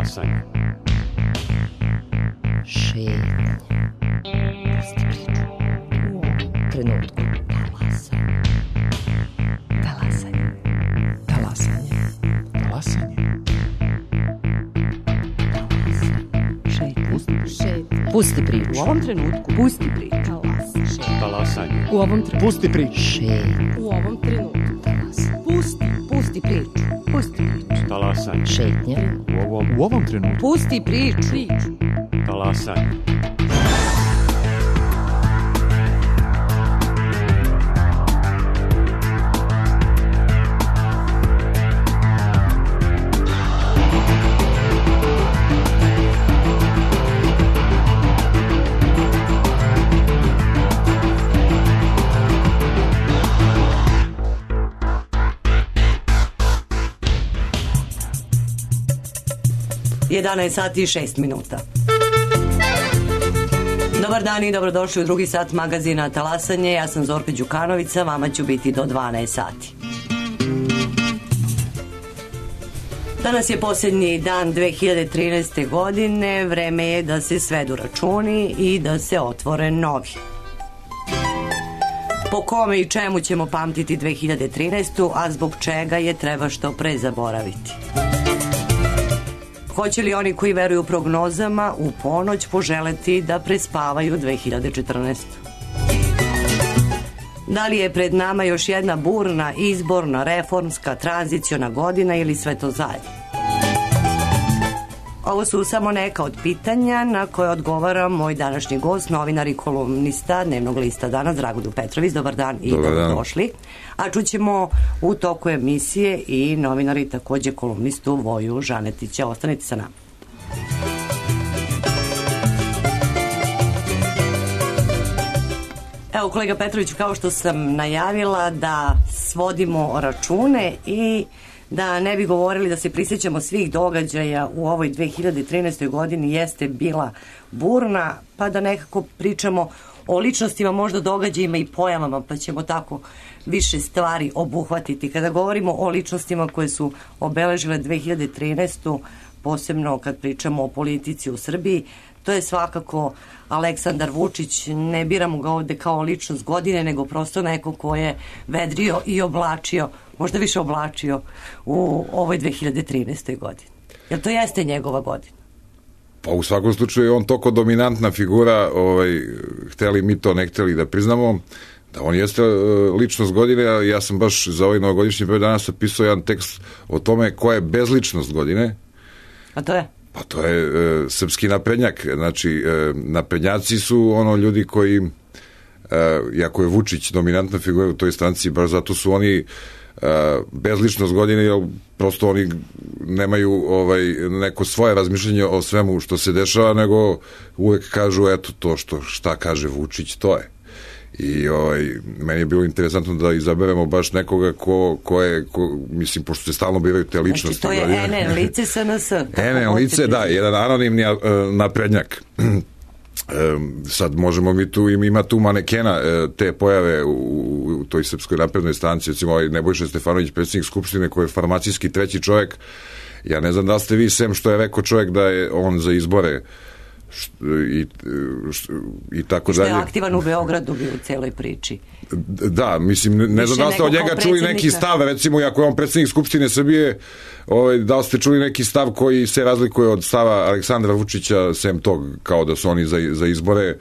Talasanje. Šetnje. Pusti priču. U ovom trenutku. Talasanje. Talasanje. Talasanje. Pusti priču. U ovom trenutku. Pusti priču. Talasanje. U ovom trenutku. Pusti priču. Šetnje. U ovom trenutku. Pusti priču. Pusti priču. Talasanje. Šetnje. U ovom trenutku. Pusti priču. Talasanje. Sati i 6 minuta. Dobar dan i dobrodošli u drugi sat magazina Talasanje. Ja sam Zorka Đukanovića, vama ću biti do 12 sati. Danas je posljednji dan 2013. godine. Vreme je da se svedu računi i da se otvore novi. Po kome i čemu ćemo pamtiti 2013. a zbog čega je treba što pre zaboraviti? Hoće li oni koji veruju prognozama u ponoć poželeti da prespavaju 2014? Da li je pred nama još jedna burna, izborna, reformska, tranziciona godina ili sve to zajedno? Ovo su samo neka od pitanja na koje odgovara moj današnji gost, novinar i kolumnista Dnevnog lista Danas, Dragoljub Petrović. Dobar dan i dobrodošli. A čućemo u toku emisije i novinar i takođe kolumnistu Voju Žanetića. Ostanite sa nama. Evo, kolega Petrović, kao što sam najavila da svodimo račune i da ne bi govorili da se prisjećamo svih događaja u ovoj 2013. godini, jeste bila burna, pa da nekako pričamo o ličnostima, možda događajima i pojavama, pa ćemo tako više stvari obuhvatiti. Kada govorimo o ličnostima koje su obeležile 2013. posebno kad pričamo o politici u Srbiji, to je svakako Aleksandar Vučić. Ne biramo ga ovde kao ličnost godine, nego prosto neko ko je vedrio i oblačio, možda više oblačio u ovoj 2013. godini. Jer to jeste njegova godina? Pa u svakom slučaju je on toliko dominantna figura, hteli mi to, ne hteli da priznamo, da on jeste ličnost godine. Ja sam baš za ovaj novogodišnji period danas napisao jedan tekst o tome ko je bezličnost godine. A to je? Pa to je srpski naprednjak. Znači, naprednjaci su ono ljudi koji, jako je Vučić dominantna figura u toj stranci, baš zato su oni bezličnost godine, jer prosto oni nemaju neko svoje razmišljenje o svemu što se dešava, nego uvek kažu eto to šta kaže Vučić, to je. I meni je bilo interesantno da izaberemo baš nekoga ko je, mislim, pošto se stalno biraju te ličnosti. Znači, to je NN lice SNS. NN lice, da, jedan anonimni naprednjak. Sad možemo mi tu, ima tu manekena te pojave u toj Srpskoj naprednoj stranci, recimo Nebojša Stefanović, predsjednik Skupštine, koji je farmacijski treći čovjek. Ja ne znam da ste vi, sem što je rekao čovjek da je on za izbore i tako dalje. Što je aktivan u Beogradu bio u celoj priči. Da, mislim, ne znam da ste od njega čuli neki stav, recimo, ako je on predsjednik Skupštine Srbije, da li ste čuli neki stav koji se razlikuje od stava Aleksandra Vučića, sem tog, kao da su oni za izbore,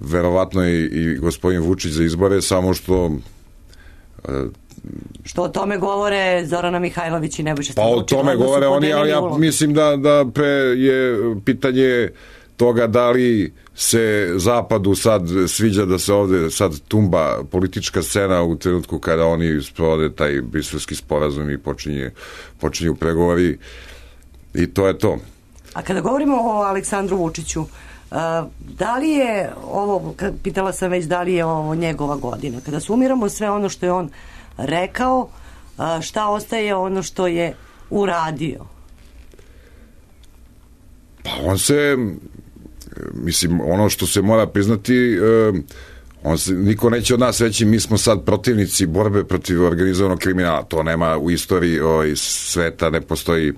verovatno je i gospodin Vučić za izbore, samo što o tome govore Zorana Mihajlović i Nebojša Stefanović. Pa o tome govore oni, ali ja mislim da pre je pitanje toga da li se Zapadu sad sviđa da se ovde sad tumba politička scena u trenutku kada oni sprovode taj briselski sporazum i počinju pregovori, i to je to. A kada govorimo o Aleksandru Vučiću, da li je ovo, pitala sam već, da li je ovo njegova godina? Kada sumiramo sve ono što je on rekao, šta ostaje ono što je uradio? Pa on se, mislim, ono što se mora priznati, niko neće od nas reći mi smo sad protivnici borbe protiv organizovanog kriminala. To nema u istoriji sveta, ne postoji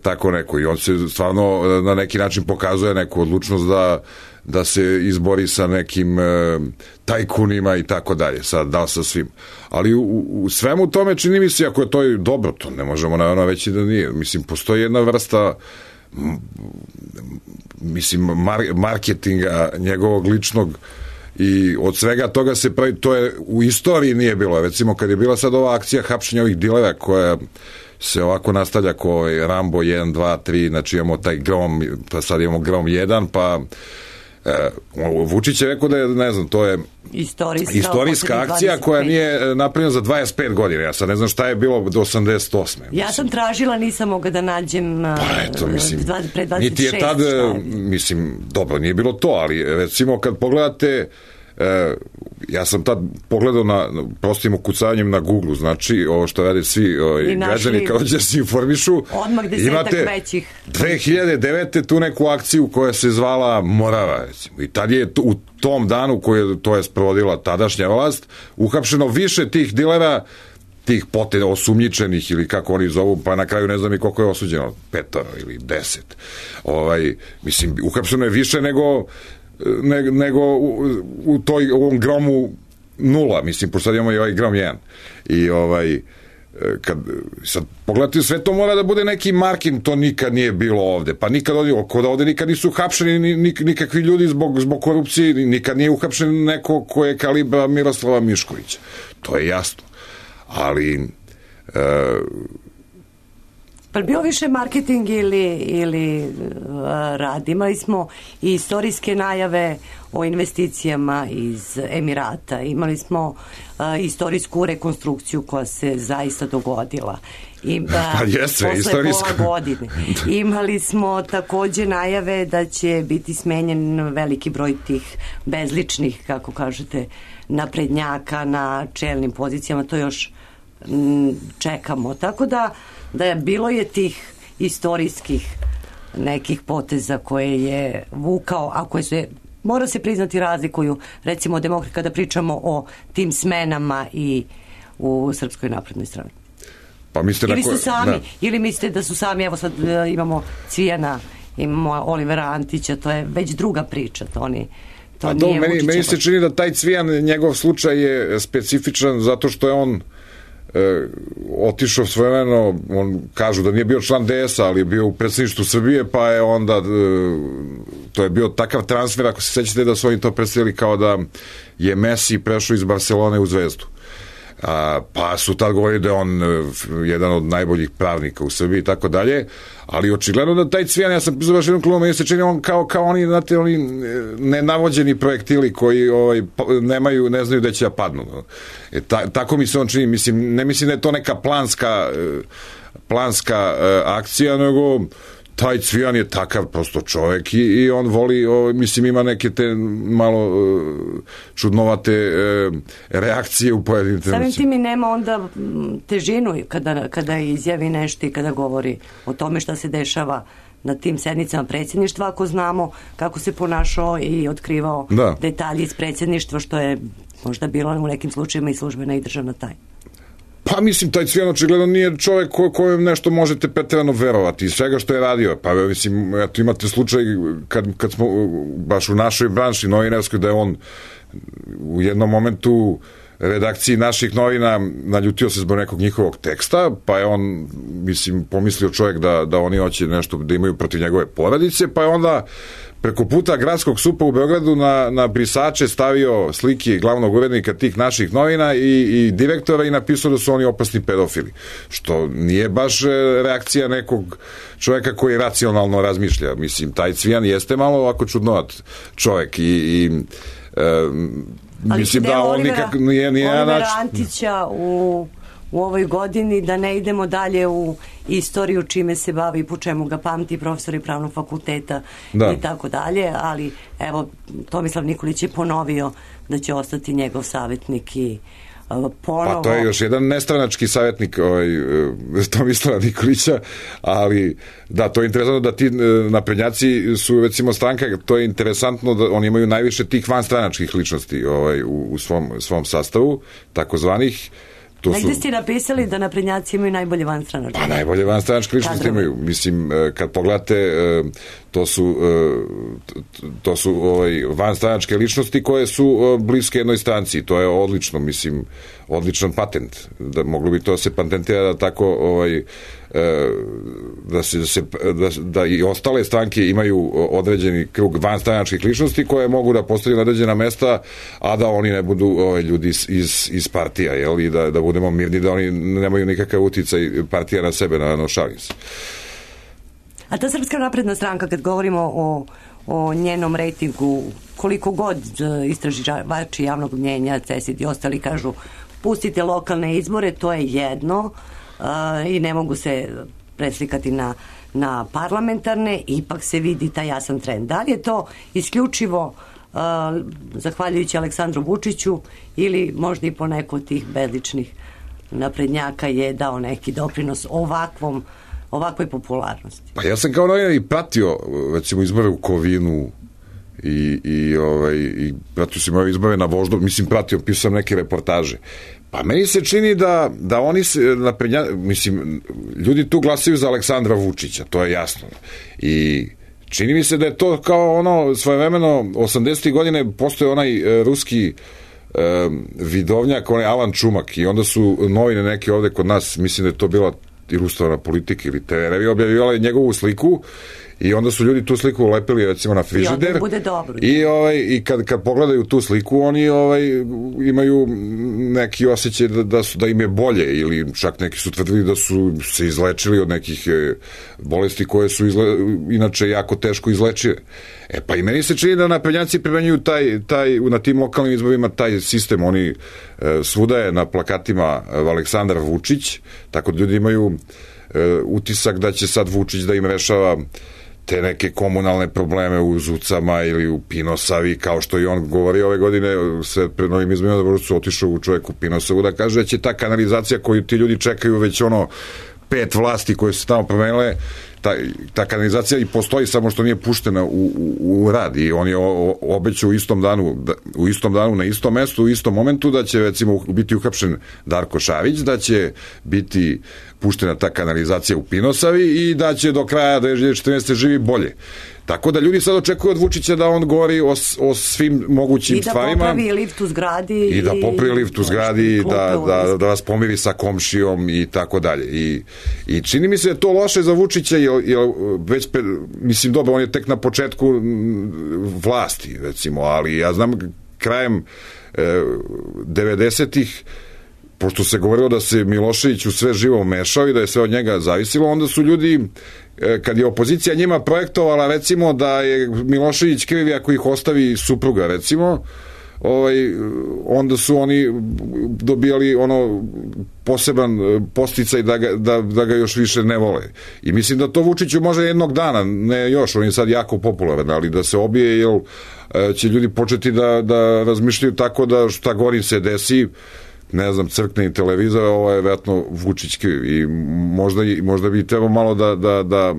tako neko. I on se stvarno na neki način pokazuje neku odlučnost da se izbori sa nekim tajkunima i tako dalje, sad da sa svim. Ali u svemu tome čini mi se, ako je to i dobro, to ne možemo naravno veći da nije. Mislim, postoji jedna vrsta marketinga njegovog ličnog i od svega toga se pravi, to je u istoriji nije bilo. Recimo, kad je bila sad ova akcija hapšenja ovih dilera koja se ovako nastavlja ko Rambo 1, 2, 3, znači imamo taj Grom, pa sad imamo Grom 1, pa Vučić je rekao da je, ne znam, to je istorijska akcija koja nije napravljena za 25 godina. Ja sad ne znam šta je bilo do 88. Ja sam tražila, nisam mogla da nađem pre 26. Niti je tad, mislim, dobro, nije bilo to, ali recimo kad pogledate, ja sam tad pogledao na prostim ukucavanjem na Google, znači ovo što rade svi građani kao da se informišu, imate većih 2009. tu neku akciju koja se zvala Morava, recimo. I tad je u tom danu to je sprovodila tadašnja vlast uhapšeno više tih dilera, tih osumnjičenih ili kako oni zovu, pa na kraju ne znam i koliko je osuđeno, 5 ili 10. Mislim, uhapšeno je više nego u ovom Gromu 0, mislim, pošto sad imamo i ovaj Grom 1. I kad sad pogledate, sve to mora da bude neki marking, to nikad nije bilo ovde, pa nikad ovde nikad nisu uhapšeni nikakvi ljudi zbog korupcije, nikad nije uhapšen neko ko je kalibra Miroslava Miškovića, to je jasno, ali pa bio više marketing ili rad. Imali smo i istorijske najave o investicijama iz Emirata. Imali smo istorijsku rekonstrukciju koja se zaista dogodila. Posle pola godine. Imali smo takođe najave da će biti smenjen veliki broj tih bezličnih, kako kažete, naprednjaka na čelnim pozicijama. To još čekamo. Tako da bilo je tih istorijskih nekih poteza koje je vukao, a koje se, mora se priznati, razlikuju, recimo demokrati, kada pričamo o tim smenama i u Srpskoj naprednoj strani. Pa mislite ili ste sami, ili mislite da su sami, evo sad imamo Cvijana, imamo Olivera Antića, to je već druga priča, meni se čini da taj Cvijan, njegov slučaj je specifičan zato što je on otišao svojevremeno, on kažu da nije bio član DS-a, ali je bio u predsjedništvu Srbije, pa je onda to je bio takav transfer, ako se sećate da su oni to predstavili kao da je Messi prešao iz Barcelone u Zvezdu. Pa su tad govorili da je on jedan od najboljih pravnika u Srbiji i tako dalje, ali očigledno da taj Cvijan, ja sam pisao baš jednom klubu, meni se čini on kao oni, znate, oni nenavođeni projektili koji ne znaju da će da padnu. Tako mi se on čini, mislim, ne mislim da je to neka planska akcija, nego taj Cvijan je takav prosto čovek i on voli, mislim, ima neke te malo čudnovate reakcije u pojedinim trenucima. Samim tim i nema onda težinu kada izjavi nešto i kada govori o tome šta se dešava na tim sednicama predsjedništva, ako znamo kako se ponašao i otkrivao detalje iz predsjedništva, što je možda bilo u nekim slučajima i službena i državna tajna. Pa mislim, taj Cvijan očigledno nije čovjek kojem nešto možete preterano verovati iz svega što je radio. Pa mislim, eto, imate slučaj kad smo baš u našoj branši novinarskoj, da je on u jednom momentu redakciji naših novina naljutio se zbog nekog njihovog teksta, pa je on, mislim, pomislio čovjek da oni hoće nešto da imaju protiv njegove porodice, pa je onda preko puta gradskog SUP-a u Beogradu na brisače stavio slike glavnog urednika tih naših novina i direktora i napisao da su oni opasni pedofili. Što nije baš reakcija nekog čovjeka koji racionalno razmišlja. Mislim, taj Cvijan jeste malo ovako čudnovat čovjek i mislim da on nikak nije Olivera Antića u ovoj godini, da ne idemo dalje u istoriju čime se bavi i po čemu ga pamti profesori pravnog fakulteta i tako dalje, ali evo, Tomislav Nikolić je ponovio da će ostati njegov savjetnik i ponovo... Pa to je još jedan nestranački savjetnik Tomislava Nikolića, ali da, to je interesantno da ti naprednjaci su, recimo, stranka, to je interesantno da oni imaju najviše tih vanstranačkih ličnosti u svom sastavu, takozvanih. Negde ste napisali da naprednjaci imaju najbolje vanstranačke. Pa najbolje vanstranačke ličnosti imaju. Mislim, kad pogledate, to su vanstranačke ličnosti koje su bliske jednoj stranci. To je odlično, mislim, odličan patent. Da moglo bi to se patentira da tako da i ostale stranke imaju određeni krug vanstranačkih ličnosti koje mogu da postavljaju na određena mesta, a da oni ne budu ljudi iz partija, jel? I da budemo mirni, da oni nemaju nikakav uticaj partija na sebe, na šalim se. A ta Srpska napredna stranka, kad govorimo o njenom rejtingu, koliko god istraživači javnog mnjenja, CESID i ostali kažu pustite lokalne izbore, to je jedno i ne mogu se preslikati na parlamentarne, ipak se vidi taj jasan trend. Da li je to isključivo zahvaljujući Aleksandru Vučiću ili možda i po neko od tih bezličnih naprednjaka je dao neki doprinos ovakvoj popularnosti? Pa ja sam kao novinar i pratio recimo izbore u Kovinu i pratio sam ove izbore na Voždovcu, mislim pisam neke reportaže. Pa meni se čini da oni se mislim, ljudi tu glasaju za Aleksandra Vučića, to je jasno. I čini mi se da je to kao svojevremeno 80. godine postoje onaj ruski vidovnjak, onaj Alan Čumak, i onda su novine neke ovde kod nas, mislim da je to bila ilustrovana Politika ili TV, objavljivali njegovu sliku i onda su ljudi tu sliku ulepili recimo na frižider i kad pogledaju tu sliku oni imaju neki osjećaj da im je bolje, ili čak neki su tvrdili da su se izlečili od nekih bolesti koje su inače jako teško izlečive. Pa i meni se čini da naprednjaci primenjuju na tim lokalnim izborima taj sistem. Oni svuda je na plakatima Aleksandar Vučić, tako da ljudi imaju utisak da će sad Vučić da im rešava te neke komunalne probleme u Zucama ili u Pinosavi, kao što i on govori ove godine, pred novim izborima da su otišao u čovjek u Pinosavu da kaže da će ta kanalizacija koju ti ljudi čekaju već 5 vlasti koje su tamo promenile, ta kanalizacija i postoji, samo što nije puštena u rad, i on je obećao u istom danu na istom mestu, u istom momentu da će recimo biti uhapšen Darko Šarić, da će biti puštena ta kanalizacija u Pinosavi i da će do kraja 2014. živi bolje. Tako da ljudi sad očekuju od Vučića da on govori o svim mogućim stvarima. I da popravi lift u zgradi. I da popravi lift u zgradi, da vas pomiri sa komšijom i tako dalje. I čini mi se da je to loše za Vučića, jer već, mislim, dobro, on je tek na početku vlasti, recimo, ali ja znam krajem 90-ih, pošto se govorilo da se Milošević u sve živo mešao i da je sve od njega zavisilo, onda su ljudi, kad je opozicija njima projektovala recimo da je Milošević kriv ako ih ostavi supruga recimo, onda su oni dobijali poseban posticaj da ga još više ne vole. I mislim da to Vučiću može jednog dana, ne još, on je sad jako popularan, ali da se obije, jer će ljudi početi da razmišljaju tako da šta gori se desi, ne znam, crkne i televizor, ovo je vjerojatno Vučić kriv, i možda bi trebao malo da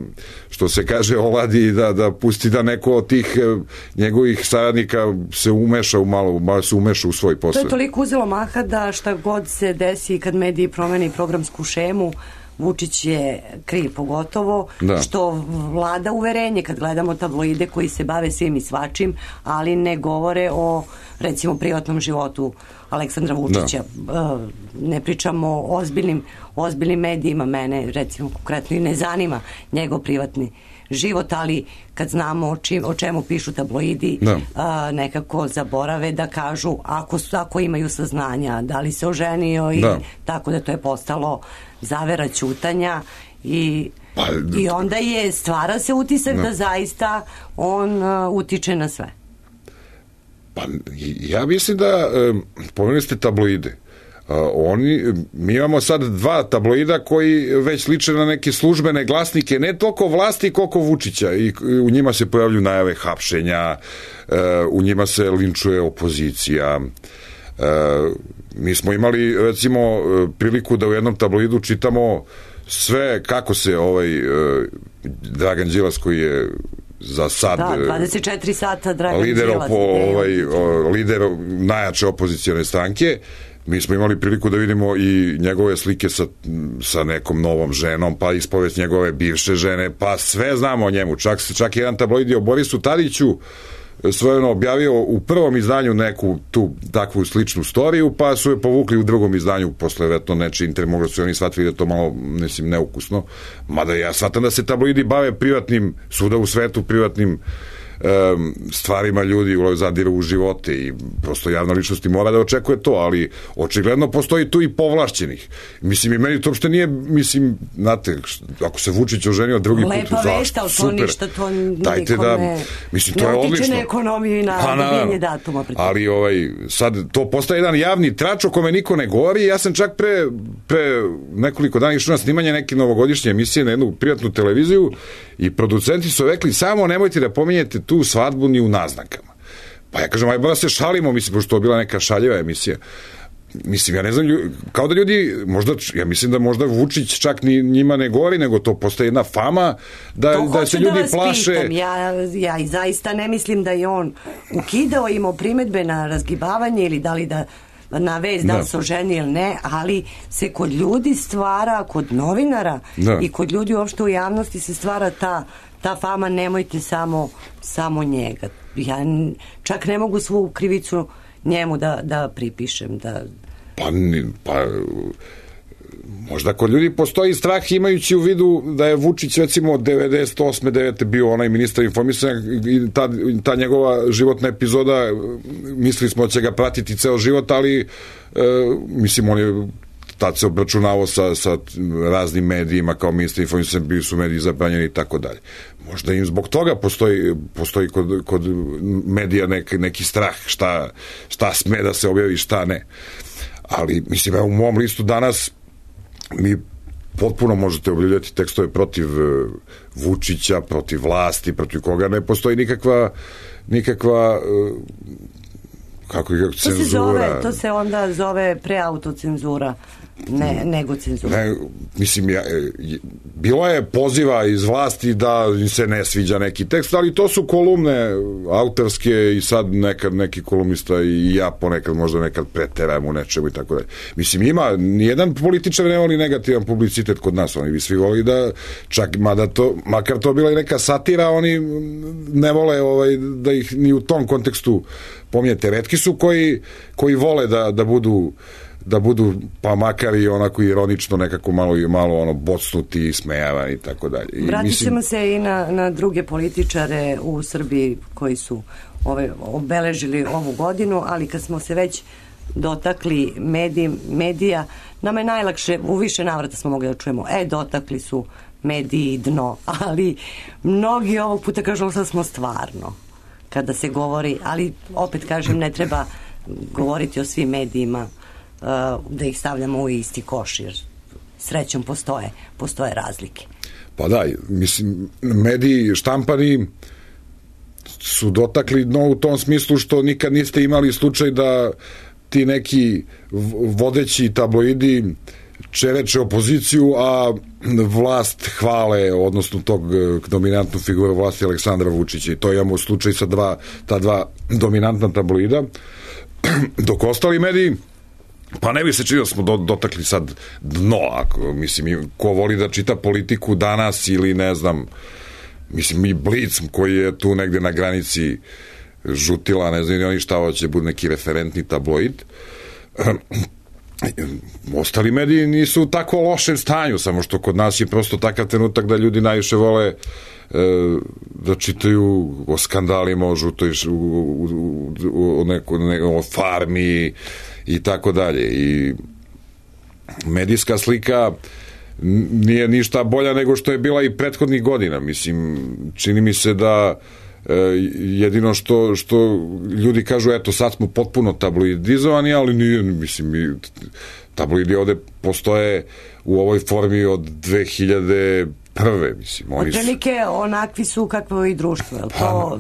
što se kaže oladi, da pusti da neko od tih njegovih saradnika se umeša malo se umeša u svoj posao. To je toliko uzelo maha da šta god se desi kad mediji promeni programsku šemu, Vučić je kriv, pogotovo što vlada uverenje kad gledamo tabloide koji se bave svim i svačim, ali ne govore o recimo privatnom životu Aleksandra Vučića. Ne pričamo o ozbiljnim medijima, mene recimo konkretno i ne zanima njegov privatni život, ali kad znamo o čemu pišu tabloidi, nekako zaborave da kažu ako imaju saznanja da li se oženio i tako da to je postalo zavera ćutanja i onda stvara se utisak da zaista on utiče na sve. Pa ja mislim da pomenuli ste tabloide. Mi imamo sad 2 tabloida koji već liče na neke službene glasnike, ne toliko vlasti koliko Vučića, i u njima se pojavljuju najave hapšenja, u njima se linčuje opozicija. Mi smo imali recimo priliku da u jednom tabloidu čitamo sve kako se Dragan Đilas, koji je za sad 24 sata Dragan lider najjače opozicione stranke, mi smo imali priliku da vidimo i njegove slike sa nekom novom ženom, pa ispovest njegove bivše žene, pa sve znamo o njemu. Čak jedan tabloid je o Borisu Tadiću svojeno objavio u prvom izdanju neku tu takvu sličnu storiju, pa su je povukli u drugom izdanju posle vetno nečiji intervju, možda su oni shvatili da je to malo, mislim, neukusno, mada ja shvatam da se tabloidi bave privatnim, svuda u svetu privatnim stvarima ljudi, zadiru u živote i prosto javna ličnost mora da očekuje to, ali očigledno postoji tu i povlašćenih. Mislim, i meni to uopšte nije, mislim, znate, ako se Vučić oženio drugi put, lepa vest, ali to ništa, to nikome mislim, to je odlično. Ne utiče na ekonomiju i na dobijenje datuma. Ali sad to postaje jedan javni trač o kome niko ne govori. Ja sam čak pre nekoliko dana išao na snimanje neke novogodišnje emisije na jednu privatnu televiziju i producenti su rekli, samo nemojte da pominjete tu svadbu ni u naznakama. Pa ja kažem, ajde da se šalimo, mislim, pošto to je bila neka šaljiva emisija. Mislim, ja ne znam, kao da ljudi, možda, ja mislim da možda Vučić čak ni njima ne govori, nego to postaje jedna fama da se ljudi plaše. Pitam. Ja i zaista ne mislim da je on ukidao, imao primetbe na razgibavanje ili da li da na vez da li se oženi ili ne, ali se kod ljudi stvara, kod novinara i kod ljudi uopšte u javnosti se stvara ta fama, nemojte samo njega. Ja čak ne mogu svu krivicu njemu da pripišem. Pa možda kod ljudi postoji strah imajući u vidu da je Vučić recimo 98. 9. bio onaj ministar informisanja i ta njegova životna epizoda, mislili smo da će ga pratiti ceo život, ali mislim, on je tad se obračunavao sa raznim medijima kao ministar informisanja, bili su mediji zabranjeni i tako dalje. Možda im zbog toga postoji kod medija neki strah šta sme da se objavi, šta ne. Ali, mislim, u mom listu danas mi potpuno možete objavljati tekstove protiv Vučića, protiv vlasti, protiv koga ne postoji nikakva kako je cenzura. To se onda zove preautocenzura, nego cenzura. Mislim, bilo je poziva iz vlasti da im se ne sviđa neki tekst, ali to su kolumne autorske i sad nekad neki kolumnista i ja ponekad možda nekad preterajem u nečemu i tako dalje. Mislim, nijedan političar ne voli negativan publicitet kod nas, oni bi svi voli da čak, makar to bila i neka satira, oni ne vole da ih ni u tom kontekstu pominjete. Retki su koji vole da budu pa makar i onako ironično nekako malo bocnuti i smejavani i tako dalje. Vratit ćemo se i na druge političare u Srbiji koji su obeležili ovu godinu, ali kad smo se već dotakli medija, nama je najlakše, u više navrata smo mogli da čujemo, dotakli su mediji dno, ali mnogi ovog puta kažu da smo stvarno kada se govori, ali opet kažem, ne treba govoriti o svim medijima da ih stavljamo u isti koš, jer srećom postoje razlike. Pa da, mislim, mediji štampani su dotakli dno u tom smislu što nikad niste imali slučaj da ti neki vodeći tabloidi čereče opoziciju, a vlast hvale, odnosno tog dominantnu figuru vlasti Aleksandra Vučića, i to imamo slučaj sa ta dva dominantna tabloida, dok ostali mediji, pa ne bi se činilo da smo dotakli sad dno, mislim, ko voli da čita politiku danas ili ne znam, mislim, i Blic koji je tu negde na granici žutila, ne znam ni oni šta hoće, bude neki referentni tabloid. Ostali mediji nisu u tako lošem stanju, samo što kod nas je prosto takav trenutak da ljudi najviše vole da čitaju o skandalima, o žutoj, o farmi i tako dalje. I medijska slika nije ništa bolja nego što je bila i prethodnih godina. Mislim, čini mi se da jedino što ljudi kažu, eto sad smo potpuno tabloidizovani, ali nije, mislim, tabloidi ovde postoje u ovoj formi od 2001. mislim. Otprilike onakvi su kakvo i društvo, je li to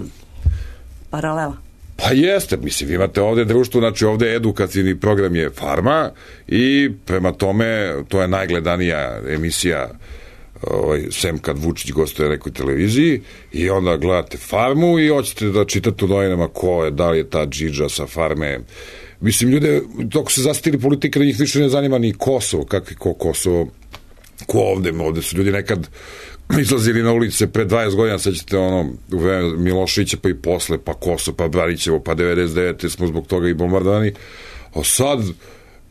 paralela? Pa jeste, mislim, vi imate ovde društvo, znači ovde edukativni program je Farma i prema tome to je najgledanija emisija sem kad Vučić gostuje na nekoj televiziji, i onda gledate Farmu i hoćete da čitate u novinama ko je, da li je ta džidža sa Farme mislim, ljude, dok se zastili politika, da njih više ne zanima ni Kosovo, kakvi Kosovo, ko ovde su ljudi nekad izlazili na ulice pre 20 godina, sećate u vreme Miloševića, pa i posle, pa Kosovo, pa Branićevo, pa 99. smo zbog toga i bombardovani, a sad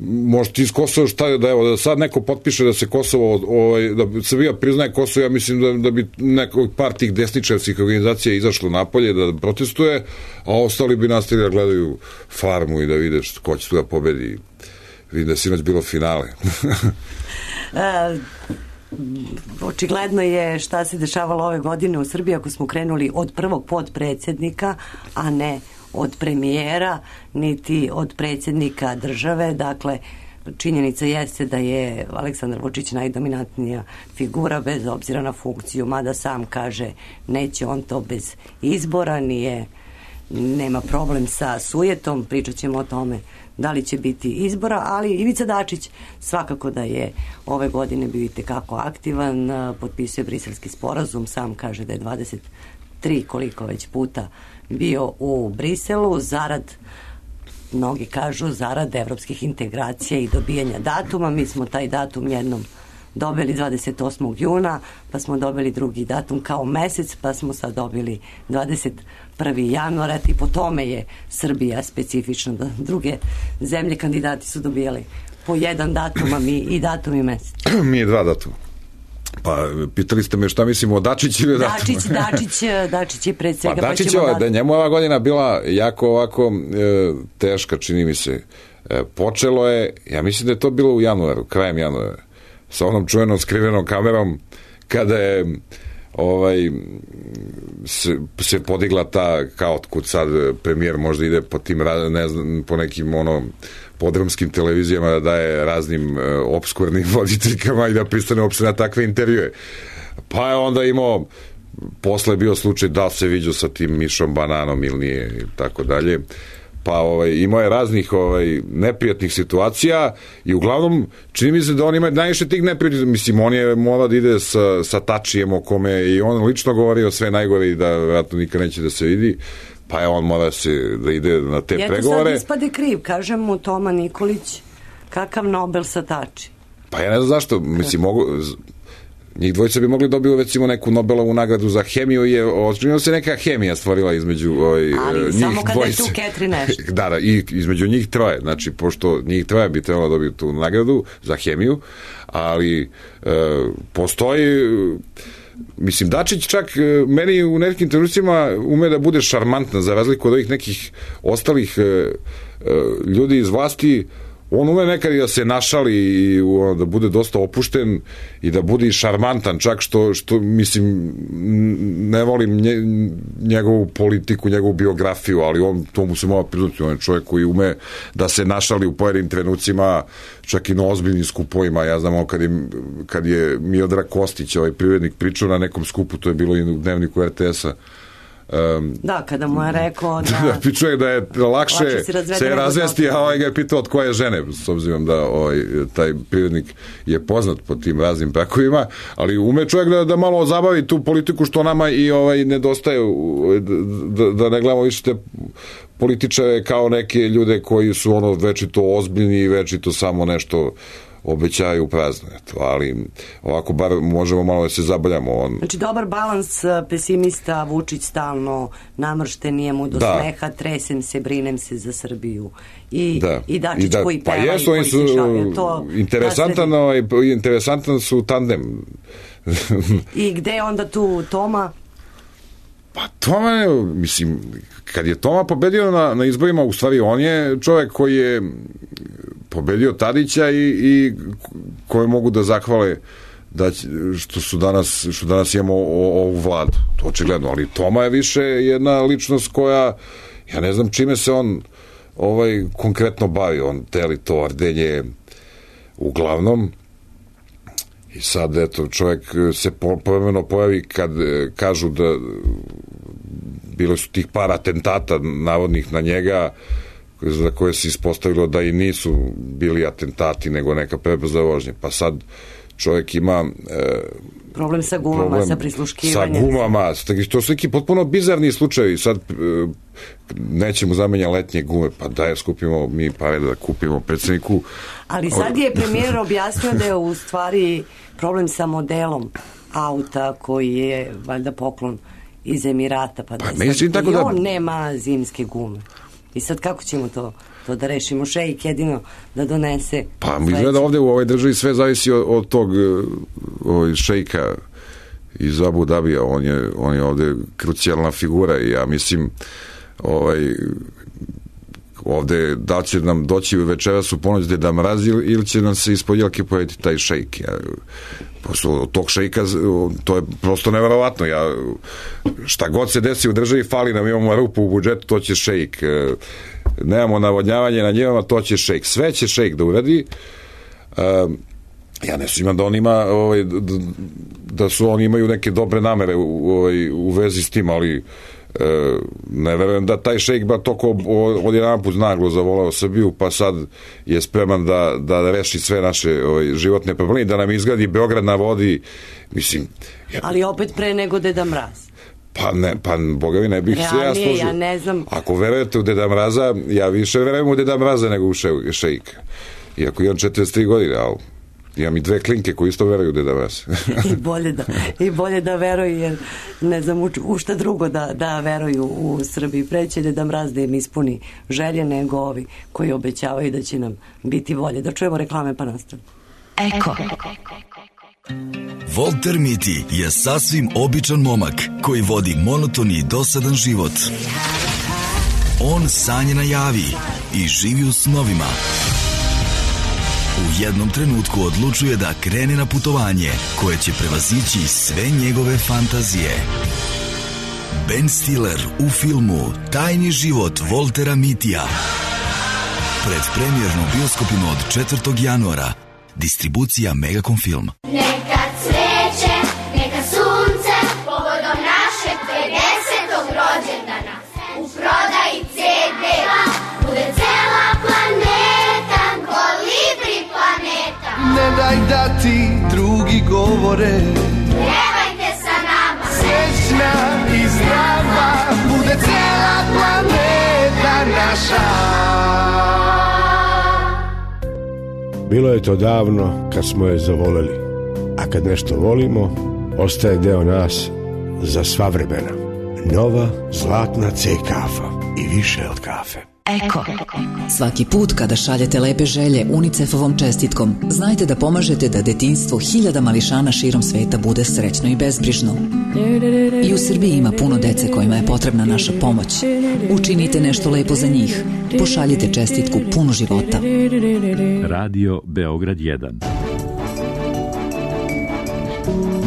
možete iz Kosova da sad neko potpiše da se Kosovo, da Srbija priznaje Kosovo, ja mislim da bi neko par tih desničarskih organizacija izašlo napolje da protestuje, a ostali bi nastavili da gledaju Farmu i da vide ko će tu da pobedi. Vidim da je sinoć bilo finale. Očigledno je šta se dešavalo ove godine u Srbiji ako smo krenuli od prvog podpredsednika, a ne od premijera, niti od predsjednika države. Dakle, činjenica jeste da je Aleksandar Vučić najdominantnija figura bez obzira na funkciju, mada sam kaže neće on to bez izbora, nema problem sa sujetom, pričat ćemo o tome da li će biti izbora, ali Ivica Dačić svakako da je ove godine bio itekako aktivan, potpisuje Briselski sporazum, sam kaže da je 23 koliko već puta bio u Briselu, mnogi kažu zarad evropskih integracija i dobijanja datuma. Mi smo taj datum jednom dobili 28. juna, pa smo dobili drugi datum kao mesec, pa smo sad dobili 21. januara, i po tome je Srbija specifična, da druge zemlje kandidati su dobijali po jedan datum, a mi i datum i mesec. Mi je 2 datuma. Pa, pitali ste me šta mislimo o Dačiću ili datumu. Dačić je pred svega. Pa Dačićeva, da njemu ova godina bila jako ovako teška, čini mi se. Počelo je, ja mislim da je to bilo u januaru, krajem januara, sa onom čuvenom skrivenom kamerom, kada je se podigla ta, kao otkud sad premijer možda ide po tim, ne znam, po nekim podrumskim televizijama da daje raznim obskurnim voditeljkama i da pristane uopšte na takve intervjue. Pa je onda imao, posle je bio slučaj da se viđao sa tim Mišom Bananom ili nije i tako dalje. Pa imao je raznih neprijatnih situacija i uglavnom čini mi se da on ima najviše tih neprijatnih, mislim on je morao da ide sa Tačijem o kome i on lično govorio sve najgore i da vjerojatno nikad neće da se vidi, pa je on mora da ide na te pregovore. Sad ispade kriv, kaže mu Toma Nikolić, kakav Nobel sa Tači. Pa ja ne znam zašto, mislim njih dvojica bi mogli dobiti recimo neku Nobelovu nagradu za hemiju, je očigledno se neka hemija stvorila između njih dvojice. Samo kada je tu Catherine nešto. Da, i između njih troje, znači pošto njih troje bi trebalo dobiti tu nagradu za hemiju, ali postoji, mislim, Dačić čak meni u nekim trenucima ume da bude šarmantna, za razliku od ovih nekih ostalih ljudi iz vlasti. On ume nekad i da se našali i da bude dosta opušten i da bude i šarmantan, čak što mislim, ne volim njegovu politiku, njegovu biografiju, ali to mu se mora priznati, on je čovjek koji ume da se našali u pojedinim trenucima, čak i na ozbiljnim skupovima. Ja znam kad je Miodrag Kostić, privrednik, pričao na nekom skupu, to je bilo i u dnevniku RTS-a, da, kada mu je rekao da pičuje da je lakše se razvesti, a ga je pitao od koje žene, s obzirom da taj privrednik je poznat po tim raznim brakovima, ali ume čovjek da malo zabavi tu politiku što nama i nedostaje, da ne gledamo više te političare kao neke ljude koji su večito ozbiljni i večito samo nešto obećaju prazno, ali ovako bar možemo malo da se zabavljamo. Znači dobar balans, pesimista, Vučić stalno namršten, nije mu do smeha, tresem se, brinem se za Srbiju i Dačić koji peva i koji se šalje. Interesantan su tandem. I gde je onda tu Toma? Pa Toma je, mislim, kad je Toma pobedio na izborima, u stvari on je čovjek koji je pobedio Tadića i koje mogu da zahvale što danas imamo ovu vladu. To očigledno, ali Toma je više jedna ličnost koja, ja ne znam čime se on konkretno bavi, on teli to ardenje uglavnom. I sad, eto, čovjek se povremeno pojavi kad kažu da bilo su tih par atentata navodnih na njega, za koje se ispostavilo da i nisu bili atentati, nego neka prebrza vožnja. Pa sad čovjek ima problem sa gumama, sa prisluškivanjem. Sa gumama, to su neki potpuno bizarni slučajevi. Sad nećemo zamenja letnje gume, pa daj skupimo mi pare da kupimo predsjedniku. Ali sad je premijer objasnio da je u stvari problem sa modelom auta koji je valjda poklon iz Emirata, pa da on nema zimske gume. I sad kako ćemo to da rešimo? Šejk jedino da donese. Pa mi gleda ovde u ovoj državi sve zavisi od tog šejka iz Abu Dabija. On je ovde krucijalna figura i ja mislim ovde da će nam doći večeras u ponoć da mrazi ili će nam se ispod jelke pojeti taj šejk. Od tog šejka to je prosto neverovatno. Šta god se desi u državi, fali nam, imamo rupu u budžetu, to će šejk. Nemamo navodnjavanje na njevama, to će šejk. Sve će šejk da uradi. Ja ne sumnjam da on ima da su oni imaju neke dobre namere u vezi s tim, ali ne verujem da taj šejk ba toko odjedanput naglo zavolao Srbiju, pa sad je spreman da reši sve naše životne probleme, da nam izgradi Beograd na vodi, mislim. Ali opet pre nego Deda Mraz. Pa boga mi ne bih se ja složio. Ja ne znam. Ako verujete u Deda Mraza, ja više verujem u Deda Mraza nego u šejka. Iako imam 43 godine, ali imam i 2 klinke koji isto veruju u Deda Mraz. I bolje da veruju, jer ne znam u šta drugo da veruju u Srbiji. Preće Deda Mraz da im ispuni želje nego ovi koji obećavaju da će nam biti bolje. Da čujemo reklame pa nastavimo. Eko. Volter Miti je sasvim običan momak koji vodi monotoni i dosadan život. On sanje na javi i živi u snovima. U jednom trenutku odlučuje da krene na putovanje koje će prevazići sve njegove fantazije. Ben Stiller u filmu Tajni život Voltera Mitija. Predpremjerno u bioskopima od 4. januara. Distribucija Megacom Film. Neka cveće, neka sunce, povodom našeg 50. rođendana. U prodaji CD bude cela planeta, Kolibri planeta. Ne daj da ti drugi govore, Pjevajte sa nama, srećna i zdrava, bude cela planeta naša. Bilo je to davno kad smo je zavoleli, a kad nešto volimo, ostaje deo nas za sva vremena. Nova zlatna C kafa i više od kafe. Eko. Svaki put kada šaljete lepe želje UNICEF-ovom čestitkom, znajte da pomažete da detinjstvo hiljada mališana širom sveta bude srećno i bezbrižno. I u Srbiji ima puno dece kojima je potrebna naša pomoć. Učinite nešto lepo za njih. Pošaljite čestitku punu života. Radio Beograd 1.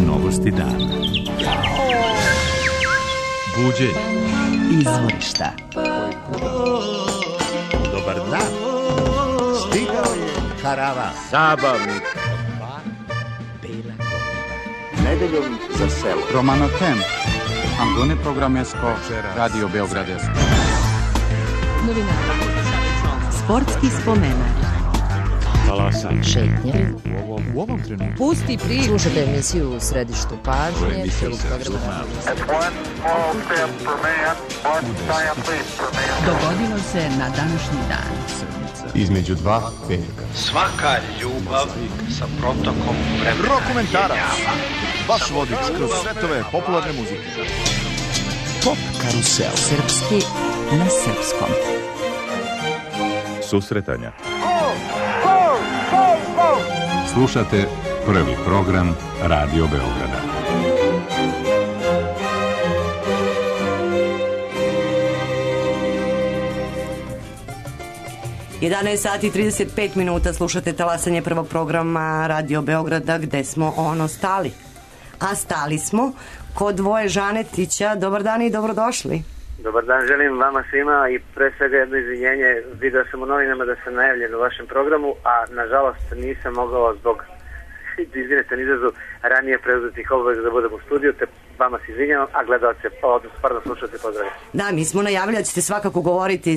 Novosti dana. Buđenje. Izvorišta. Dobar dan. Stigao je karavan. Zabavnik. Bela godina. Nedeljom za selo. Romano Tem. Angone programesko. Radio Beograd. Novina. Sportski spomenak. Talasanje. Šetnje. U ovom trenutku. Pusti priču. Slušajte emisiju u središtu pažnje. Dogodilo se na današnji dan. Između dva petka. Svaka ljubav sa protokom vremena. Rokomentarac. Vaš vodič kroz svetove popularne muzike. Pop karusel. Srpski na srpskom. Susretanja. Slušate prvi program Radio Beograda. Jedanaest sati 35 minuta, slušate talasanje prvog programa Radio Beograda, gde smo stali. A stali smo kod Voje Žanetića. Dobar dan i dobrodošli. Dobar dan, želim vama svima i pre svega jedno izvinjenje. Vidio sam u novinama da sam najavljen u vašem programu, a nažalost nisam mogao zbog, izvinite na izrazu, ranije preuzetih obaveza da budem u studiju, te vama se izvinjavam, a gledalce, pardon, slušalce, pozdravljam. Da, mi smo najavili da ćete svakako govoriti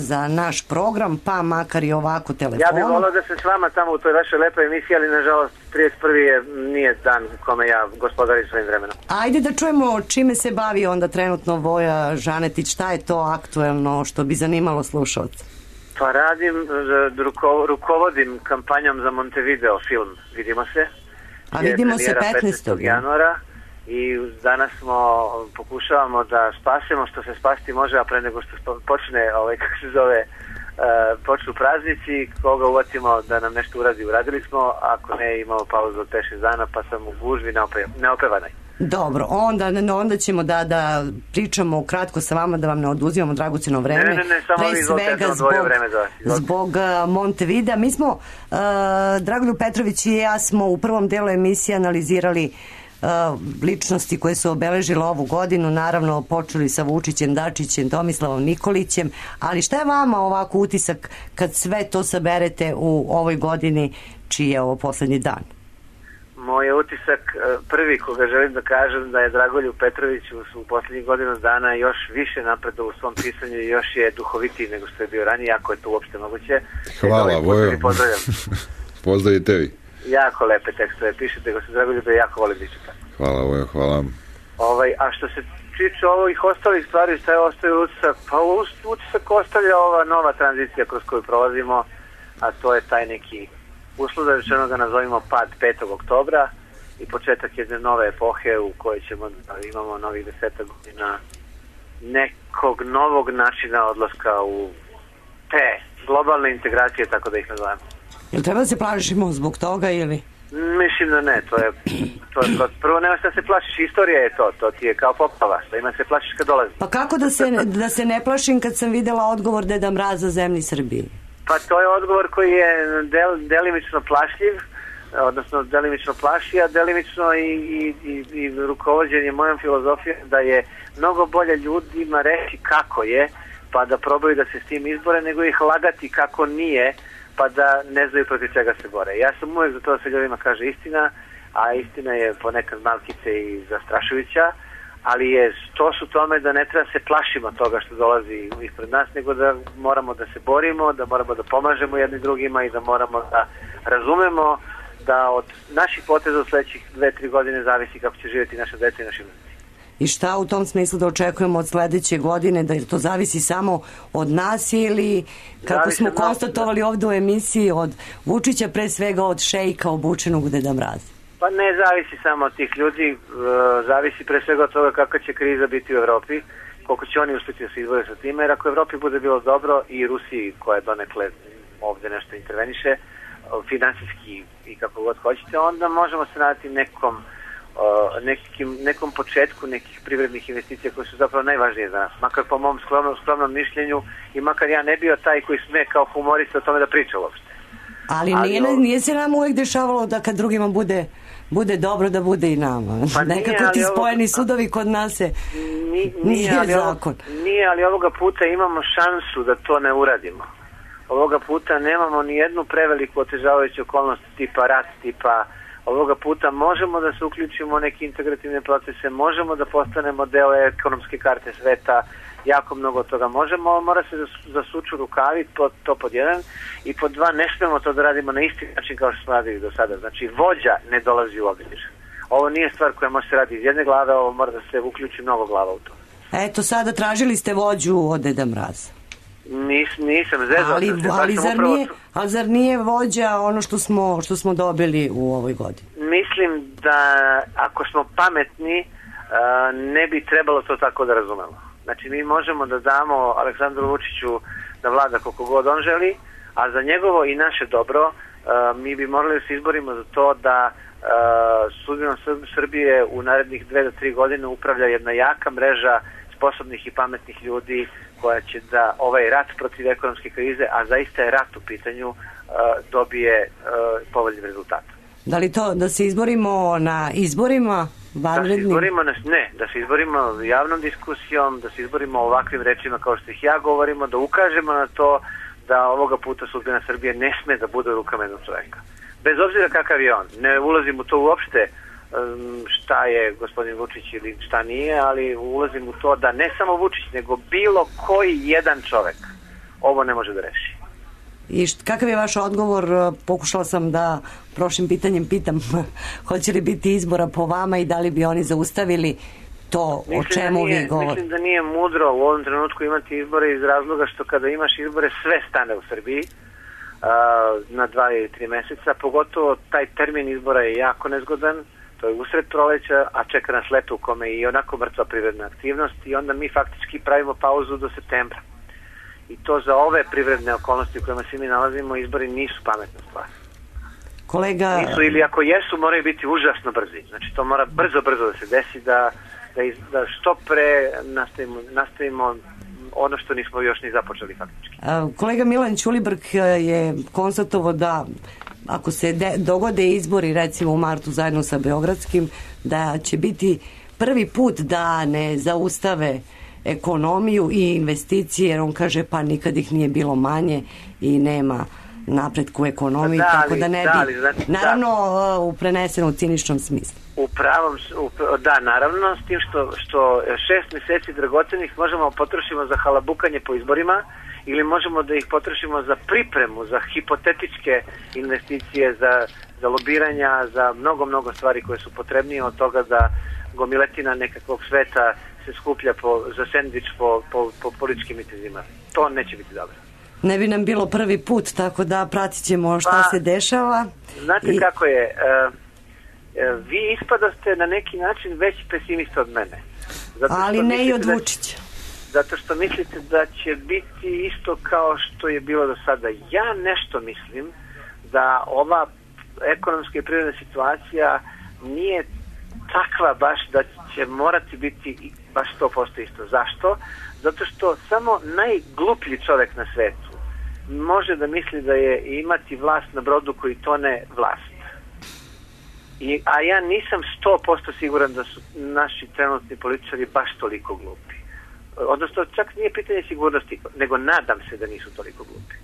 za naš program, pa makar i ovako telefonom. Ja bih volao da sam s vama tamo u toj vašoj lepoj emisiji, ali nažalost 31. nije dan u kome ja gospodarim svojim vremenom. Ajde da čujemo čime se bavi onda trenutno Voja Žanetić, šta je to aktuelno što bi zanimalo slušalce? Pa radim, rukovodim kampanjom za Montevideo film Vidimo se. A vidimo se 15. januara i danas pokušavamo da spasemo što se spasti može, a pre nego što počne, kako se zove, počnu praznici, koga uvatimo da nam nešto uradi, uradili smo, ako ne imamo pauzu od 5-6 dana, pa sam u gužvi neopevanoj. Dobro, onda ćemo da pričamo kratko sa vama, da vam ne oduzimamo dragoceno vreme. Ne, samo vi izvolite, ja sam odvojio vreme za vas. Zbog Montevidea. Mi smo, Dragoljub Petrović i ja smo u prvom delu emisije analizirali ličnosti koje su obeležile ovu godinu, naravno počeli sa Vučićem, Dačićem, Tomislavom Nikolićem, ali šta je vama ovako utisak kad sve to saberete u ovoj godini čiji je ovo poslednji dan? Moj utisak, prvi koga želim da kažem, da je Dragoljub Petrović u poslednjih godinu dana još više napredao u svom pisanju i još je duhovitiji nego što je bio ranije, ako je to uopšte moguće. Hvala, Vojo. Pozdravi tebi. Jako lepe tekstove pišete, gospodin Dragoljube, jako volim da čitam. Hvala, Vojo, hvala. A što se tiče ovih ostalih stvari, šta je ostavio utisak? Pa utisak ostavlja ova nova tranzicija kroz koju prolazimo, a to je taj neki uslovno rečeno ga nazovimo pad 5. oktobra i početak jedne nove epohe u kojoj imamo novih 10 godina nekog novog načina odlaska u te globalne integracije, tako da ih nazovemo. Jel treba da se plašimo zbog toga ili? Mislim da ne, to je prvo nema šta se plašiš, istorija je to ti je kao poplava, što ima se plašiš kad dolazi. Pa kako da se ne plašim kad sam videla odgovor Deda Mraza zemlji Srbiji? Pa to je odgovor koji je delimično plašljiv, odnosno delimično plaši, a delimično i rukovođenje mojom filozofijom da je mnogo bolje ljudima reći kako je, pa da probaju da se s tim izbore, nego ih lagati kako nije, pa da ne znaju protiv čega se bore. Ja sam uvijek za to da se ljudima kaže istina, a istina je ponekad malkice i zastrašujuća, ali je to su tome da ne treba se plašimo toga što dolazi ispred nas, nego da moramo da se borimo, da moramo da pomažemo jedni drugima i da moramo da razumemo da od naših poteza u sledećih 2-3 godine zavisi kako će živjeti naša deca i naši unuci. I šta u tom smislu da očekujemo od sledeće godine, da to zavisi samo od nas ili, kako smo konstatovali ovde u emisiji, od Vučića, pre svega od šejka obučenog u Deda Mraza? Pa ne zavisi samo od tih ljudi, zavisi pre svega od toga kakva će kriza biti u Evropi, koliko će oni uspjeti da se izbore sa time, jer ako Evropi bude bilo dobro i Rusiji koja donekle ovde nešto interveniše, finansijski i kako god hoćete, onda možemo se nadati nekom početku nekih privrednih investicija koje su zapravo najvažnije za nas, makar po mom skromnom mišljenju i makar ja ne bio taj koji sme kao humorista o tome da priča uopšte. Ali nije se nam uvek dešavalo da kad drugima bude dobro da bude i nama. Pa nekako ti spojeni sudovi kod nas se nije zakon. Nije, ali ovoga puta imamo šansu da to ne uradimo. Ovoga puta nemamo ni jednu preveliku otežavajuću okolnost tipa rat, ovoga puta možemo da se uključimo u neke integrativne procese, možemo da postanemo deo ekonomske karte sveta, jako mnogo toga možemo, mora se zasuču rukavi, to pod jedan, i pod dva, ne smemo to da radimo na isti način kao što smo radili do sada. Znači, vođa ne dolazi u obzir. Ovo nije stvar koja može se radi iz jedne glave, ovo mora da se uključi mnogo glava u to. Eto, sada tražili ste vođu od Deda Mraza. Nisam zezao. Ali zar nije vođa ono što smo dobili u ovoj godini? Mislim da ako smo pametni, ne bi trebalo to tako da razumemo. Znači, mi možemo da damo Aleksandru Vučiću da vlada koliko god on želi, a za njegovo i naše dobro mi bi morali da se izborimo za to da sudbinom Srbije u narednih 2 do 3 godine upravlja jedna jaka mreža sposobnih i pametnih ljudi koja će da ovaj rat protiv ekonomske krize, a zaista je rat u pitanju, dobije povoljnim rezultatom. Da li to da se izborimo na izborima? Da se izborimo javnom diskusijom, da se izborimo ovakvim rečima kao što ih ja govorimo, da ukažemo na to da ovoga puta sudbina Srbije ne sme da bude u rukama jednog čoveka. Bez obzira kakav je on. Ne ulazim u to uopšte šta je gospodin Vučić ili šta nije, ali ulazim u to da ne samo Vučić, nego bilo koji jedan čovek ovo ne može da reši. I kakav je vaš odgovor? Pokušala sam da prošlim pitanjem pitam hoće li biti izbora po vama i da li bi oni zaustavili to o čemu vi govorite. Mislim da nije mudro u ovom trenutku imati izbore iz razloga što kada imaš izbore sve stane u Srbiji na 2 ili 3 meseca, pogotovo taj termin izbora je jako nezgodan, to je usred proleća, a čeka nas leto u kome je i onako mrtva privredna aktivnost i onda mi faktički pravimo pauzu do septembra. I to za ove privredne okolnosti u kojima se mi nalazimo, izbori nisu pametna stvar. Kolega... Nisu, ili ako jesu, moraju biti užasno brzi. Znači to mora brzo da se desi, da što pre nastavimo ono što nismo još ni započeli faktički. Kolega Milan Ćulibrk je konstatovao da ako se dogode izbori recimo u martu zajedno sa Beogradskim, da će biti prvi put da ne zaustave ekonomiju i investicije, jer on kaže pa nikad ih nije bilo manje i nema napretku u ekonomiji, tako da ne bi, naravno u prenesenom ciničnom smislu. Da, naravno, s tim što 6 meseci dragocenih možemo potrošimo za halabukanje po izborima ili možemo da ih potrošimo za pripremu, za hipotetičke investicije, za lobiranja, za mnogo stvari koje su potrebnije od toga da gomiletina nekakvog sveta se skuplja za sendvič po političkim mitizima. To neće biti dobro. Ne bi nam bilo prvi put, tako da pratit ćemo šta se dešava. Znate kako je, vi ispadaste na neki način veći pesimista od mene. Ali ne i od Vučića. Zato što mislite da će biti isto kao što je bilo do sada. Ja nešto mislim da ova ekonomska i privredna situacija nije takva baš da će morati biti baš 100% isto. Zašto? Zato što samo najgluplji čovjek na svetu može da misli da je imati vlast na brodu koji tone vlast. A ja nisam 100% siguran da su naši trenutni političari baš toliko glupi. Odnosno, čak nije pitanje sigurnosti, nego nadam se da nisu toliko glupi.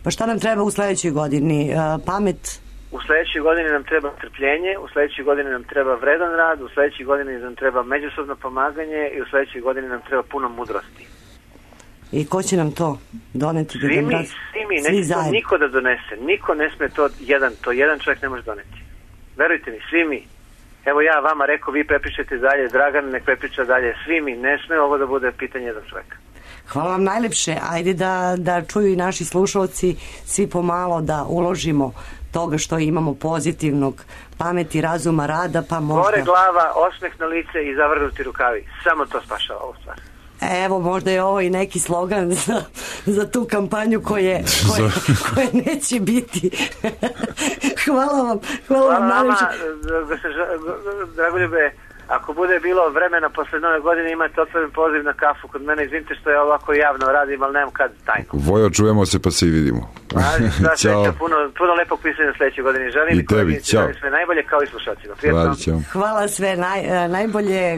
Pa šta nam treba u sledećoj godini? Pamet? U sledećoj godini nam treba trpljenje, u sledećoj godini nam treba vredan rad, u sledećoj godini nam treba međusobno pomaganje i u sledećoj godini nam treba puno mudrosti. I ko će nam to doneti? Svi mi, neće to niko da donese. Niko ne sme to jedan čovjek ne može doneti. Verujte mi, svi mi. Evo ja vama rekao, vi prepišete dalje, Dragan nek prepriča dalje, svi mi, ne sme ovo da bude pitanje jedan čovjeka. Hvala vam najlepše, ajde da čuju i naši slušalci, svi pomalo da uložimo toga što imamo pozitivnog, pameti, razuma, rada, pa možda... Gore glava, osmeh na lice i zavrnuti rukavi, samo to spašava ovu stvar. Evo, možda je ovo i neki slogan za tu kampanju koje neće biti. Hvala vam najviše. Dragoljube, ako bude bilo vremena posle nove godine, imate otvoren poziv na kafu kod mene. Izvinite što je ovako javno radim, ali nemam kad tajno. Vojo, čujemo se pa se i vidimo. Ćao. Puno lepog pisanja sledeće godine. Želim i tebi, ćao. Sve najbolje kao i slušalcima. Hvala sve najbolje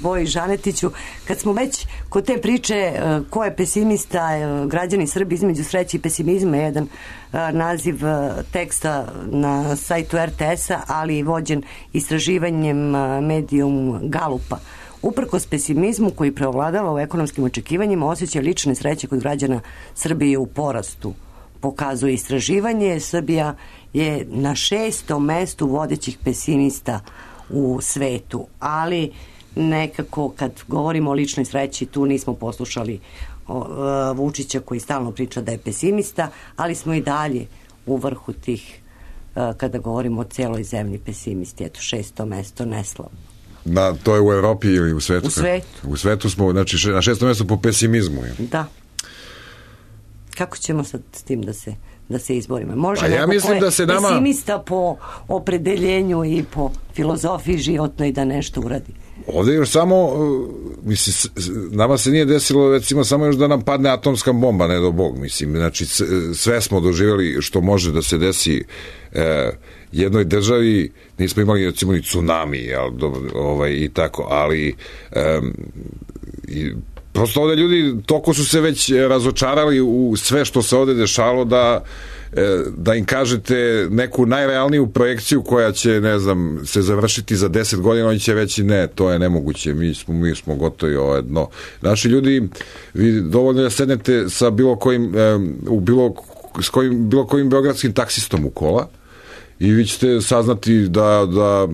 Voji Žanetiću. Kad smo već kod te priče ko je pesimista, građani Srbi između sreće i pesimizma, jedan naziv teksta na sajtu RTS-a, ali i vođen istraživanjem Medium Galupa. Uprkos pesimizmu koji preovladava u ekonomskim očekivanjima, osjećaj lične sreće kod građana Srbije u porastu. Pokazuje istraživanje, Srbija je na 6. mestu vodećih pesimista u svetu, ali nekako kad govorimo o ličnoj sreći tu nismo poslušali Vučića koji stalno priča da je pesimista, ali smo i dalje u vrhu tih, kada govorimo o celoj zemlji, pesimisti. Eto, 6. mesto neslavno. To je u Evropi ili u svetu? U svetu. U svetu smo, znači, na 6. mestu po pesimizmu. Da. Kako ćemo sad s tim da se izborimo? Može ja mislim da se nama... pesimista po opredeljenju i po filozofiji životnoj da nešto uradi. Ovdje još samo, mislim, nama se nije desilo, recimo, samo još da nam padne atomska bomba, ne do Bog, mislim, znači, sve smo doživjeli što može da se desi jednoj državi, nismo imali, recimo, ni tsunami, i tako, ali prosto ovdje ljudi toliko su se već razočarali u sve što se ovdje dešalo da im kažete neku najrealniju projekciju koja će, ne znam, se završiti za 10 godina, oni će reći ne, to je nemoguće, mi smo gotovi, ovo jedno. Naši ljudi, vi dovoljno da sednete sa bilo kojim, u bilo s bilo kojim beogradskim taksistom u kola i vi ćete saznati da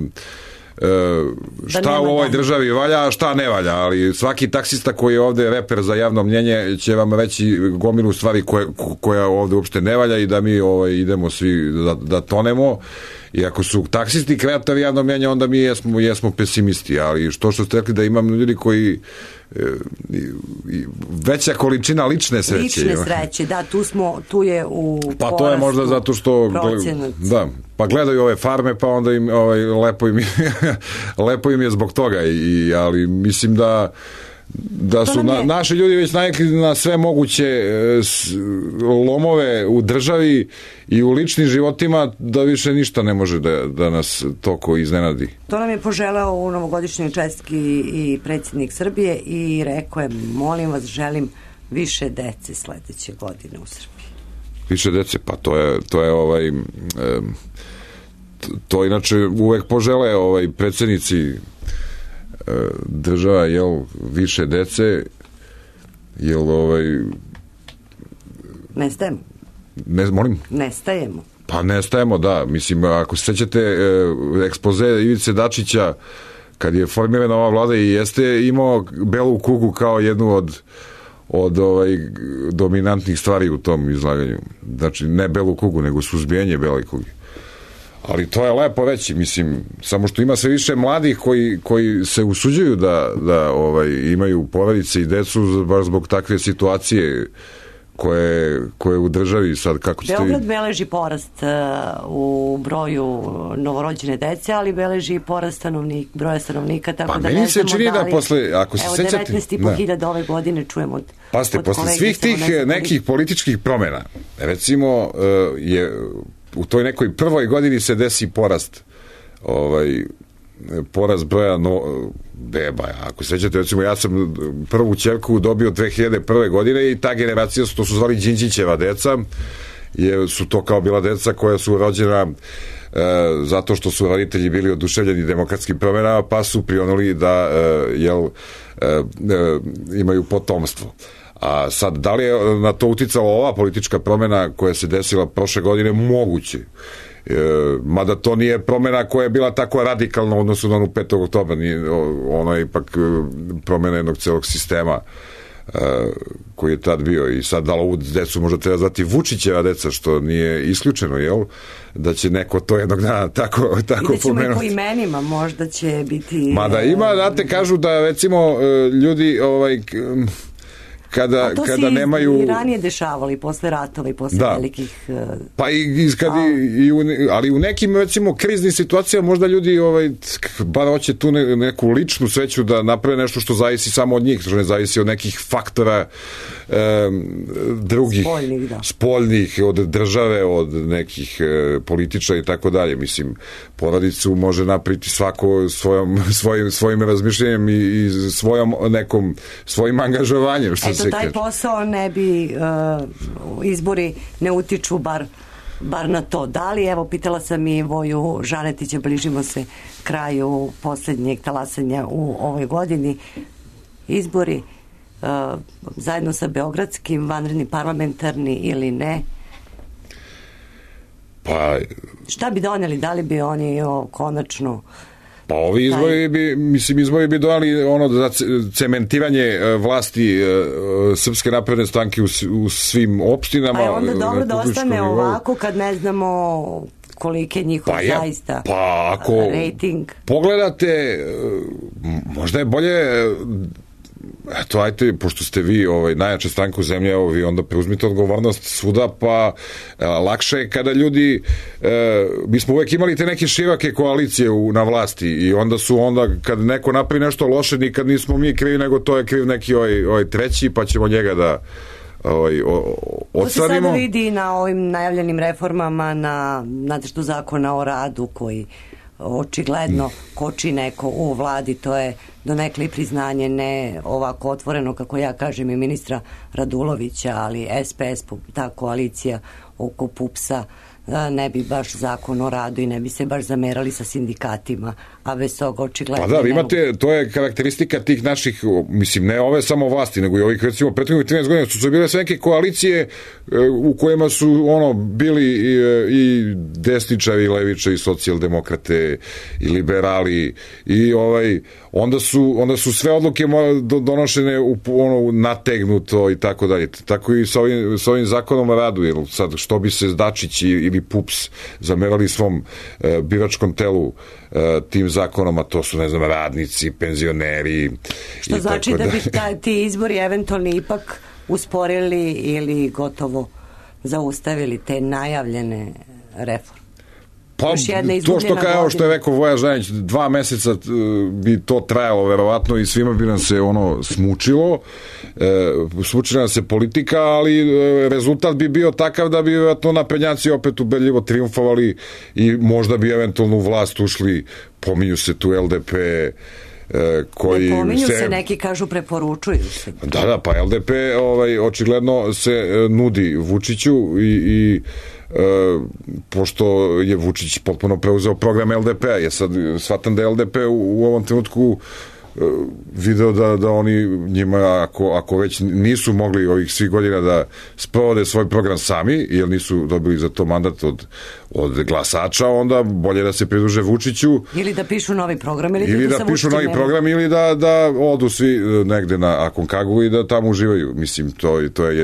šta u ovoj državi valja, a šta ne valja, ali svaki taksista koji je ovde reper za javno mnjenje će vam reći gomilu stvari koja ovde uopšte ne valja i da mi idemo svi da tonemo. I ako su taksisti kreatori javno mnjenja, onda mi jesmo pesimisti, ali što ste rekli da imam ljudi koji veća količina lične sreće. Lične sreće, da, tu je u pa to je možda zato što da, pa gledaju ove farme, pa onda im lepo im je zbog toga, ali mislim da su naši ljudi već navikli na sve moguće lomove u državi i u ličnim životima, da više ništa ne može da nas toko iznenadi. To nam je poželeo u novogodišnjoj čestitki i predsjednik Srbije i rekao je, molim vas, želim više dece sledeće godine u Srbiji. Više dece, pa to inače uvek požele predsjednici država, više dece, nestajemo. Molim? Nestajemo. Pa nestajemo, da. Mislim, ako se sećate ekspoze Ivice Dačića, kad je formirana ova vlada i jeste imao belu kugu kao jednu od dominantnih stvari u tom izlaganju. Znači, ne belu kugu, nego suzbijanje bele kuge. Ali to je lepo reći, mislim, samo što ima sve više mladih koji se usuđuju da imaju porodice i decu baš zbog takve situacije koje u državi sad, kako ste... Beograd beleži porast u broju novorođene dece, ali beleži i porast broja stanovnika, tako pa da ne znamo da li... Posle, ako se evo, sećate... 19.500 ove godine čujemo od Pasite, posle svih tih nekih političkih promjena, recimo, je u toj nekoj prvoj godini se desi porast broja beba. Ako se sećate, recimo, ja sam prvu ćerku dobio 2001. godine i ta generacija, to su zvali Đinđićeva deca, su to kao bila deca koja su rođena zato što su roditelji bili oduševljeni demokratskim promjenama, pa su prionuli da imaju potomstvo. A sad, da li je na to uticala ova politička promjena koja se desila prošle godine? Moguće. Mada to nije promjena koja je bila tako radikalna u odnosu na onu 5. oktobra. Ono je ipak promjena jednog celog sistema koji je tad bio. I sad, da li ovu decu možda treba zvati Vučićeva deca, što nije isključeno, jel? Da će neko to jednog dana tako pomenuti. I da ćemo i po imenima, možda će biti... Mada ima, znate, kažu da recimo ljudi kada nemaju... To se i ranije dešavali, posle ratova i posle velikih... Pa ali u nekim, recimo, kriznim situacijama možda ljudi bar hoće tu neku ličnu sreću da naprave nešto što zavisi samo od njih, što ne zavisi od nekih faktora drugih, spoljnih, od države, od nekih političara i tako dalje. Mislim, porodicu može napriti svako svojim razmišljanjem i svojim angažovanjem, što se taj posao ne bi izbori ne utiču bar na to. Da li, evo, pitala sam i Voju Žanetića, bližimo se kraju posljednjeg talasanja u ovoj godini, izbori zajedno sa beogradskim, vanredni, parlamentarni ili ne? Pa... Šta bi doneli? Da li bi oni konačno... Pa ovi izbori bi donali za cementiranje vlasti Srpske napredne stranke u svim opštinama. Pa je onda dobro da ostane ovako kad ne znamo koliki je njihov zaista rating. Pogledate, možda je bolje... Eto, ajte, pošto ste vi najjača stranka u zemlji, evo vi onda preuzmite odgovornost svuda, pa lakše je kada ljudi, mi smo uvek imali te neke široke koalicije na vlasti i onda kad neko napravi nešto loše, nikad nismo mi krivi, nego to je kriv neki treći, pa ćemo njega da odstranimo. To se sada vidi na ovim najavljenim reformama, na nacrtu zakona o radu koji očigledno koči neko u vladi, to je donekle priznanje, ne ovako otvoreno kako ja kažem i ministra Radulovića, ali SPS, ta koalicija oko PUPS-a ne bi baš zakon o radu i ne bi se baš zamerali sa sindikatima, a bez toga očigledno... Pa da, vi imate, to je karakteristika tih naših, mislim, ne ove samo vlasti, nego i ovih, recimo, prethodnih 13 godina su bile sve neke koalicije u kojima su, bili i desničari, i levičari, i socijaldemokrate, i liberali, i onda su sve odluke donošene nategnuto i tako dalje. Tako i sa ovim zakonom o radu, jer sad što bi se Dačić ili PUPS zamerali svom biračkom telu tim zakonom, a to su, ne znam, radnici, penzioneri. Što znači da bi ti izbori eventualni ipak usporili ili gotovo zaustavili te najavljene reforme? Pa to što je rekao Voja Žanjić, 2 meseca bi to trajalo verovatno i svima bi nam se smučila nam se politika, ali rezultat bi bio takav da bi verovatno naprednjaci opet ubedljivo triumfovali i možda bi eventualno u vlast ušli, pominju se tu LDP, koji ne pominju se, neki kažu preporučuju se. Da, pa LDP očigledno se nudi Vučiću i pošto je Vučić potpuno preuzeo program LDP-a, ja sad shvatam da je LDP u ovom trenutku video da oni njima, ako već nisu mogli ovih svih godina da sprovode svoj program sami, jer nisu dobili za to mandat od glasača, onda bolje da se pridruže Vučiću. Ili da pišu novi program, ili da pišu novi program, ili da odu svi negde na Akonkagu i da tamo uživaju. Mislim, to je